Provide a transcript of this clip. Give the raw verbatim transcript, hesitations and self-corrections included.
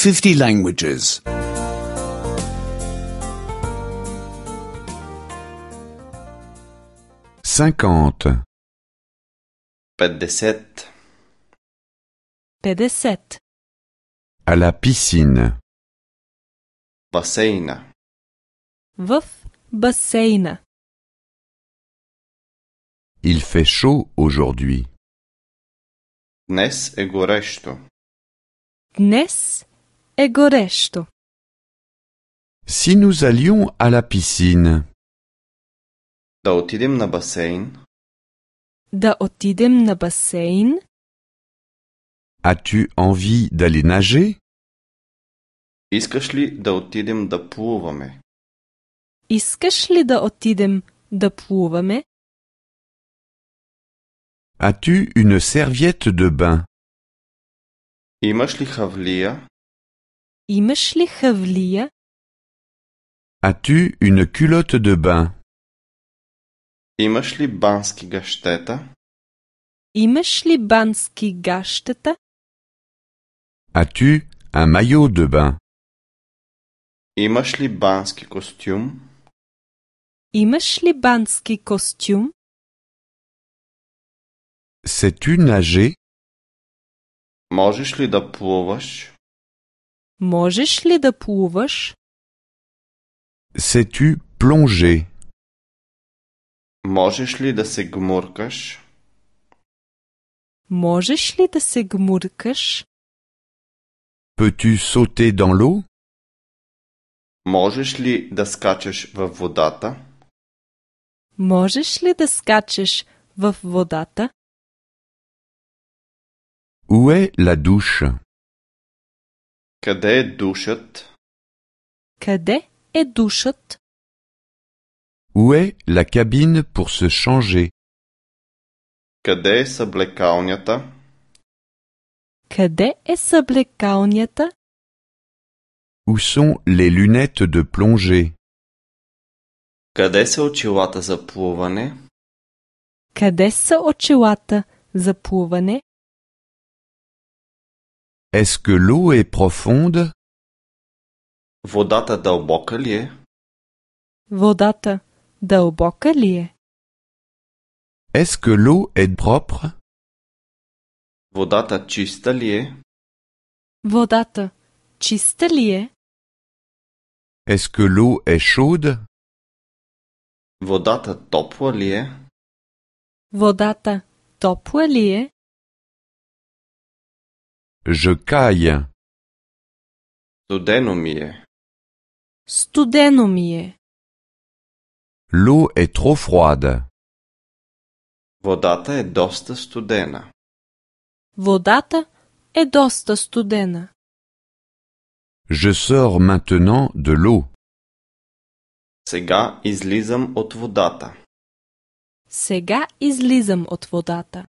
fifty languages. cinquante, петдесет, петдесет. à la piscine, басейна, В басейна. il fait chaud aujourd'hui. днес е горещо. Днес е горещо. Si nous allions à la piscine, Да отидем на басейн. Да отидем на басейн. as-tu envie d'aller nager? Искаш ли да отидем да плуваме? Искаш ли да отидем да плуваме? As-tu une serviette de bain? Имаш ли хавлия? Имаш ли хавлия? As-tu une culotte de bain? Имаш ли бански гащета? Имаш ли бански гащета? As-tu un maillot de bain? Имаш ли бански костюм? Имаш ли бански костюм? Sais-tu nager? Можеш ли да плуваш? Можеш ли да плуваш? Sais-tu plonger? Можеш ли да се гмуркаш? Можеш ли да се гмуркаш? Peux-tu sauter dans l'eau? Можеш ли да скачаш във водата? Можеш ли да скачеш в водата? Où est la douche? Къде е душът? Къде е душът? Où est la cabine pour se changer? Къде е съблекалнята? Къде е съблекалнята? Où sont les lunettes de plongée? Къде са очилата за плуване? Къде са очилата за плуване? Est-ce que l'eau est profonde? Водата дълбока ли е? Водата дълбока ли е? Est-ce que l'eau est propre? Водата чиста ли е? Водата чиста ли е? Est-ce que l'eau est chaude? Водата топла ли е? Водата топла ли е? Je caille. Студено ми е. Студено ми е. L'eau est trop froide. Водата е доста студена. Водата е доста студена. Je sors maintenant de l'eau. Сега излизам от водата. Сега излизам от водата.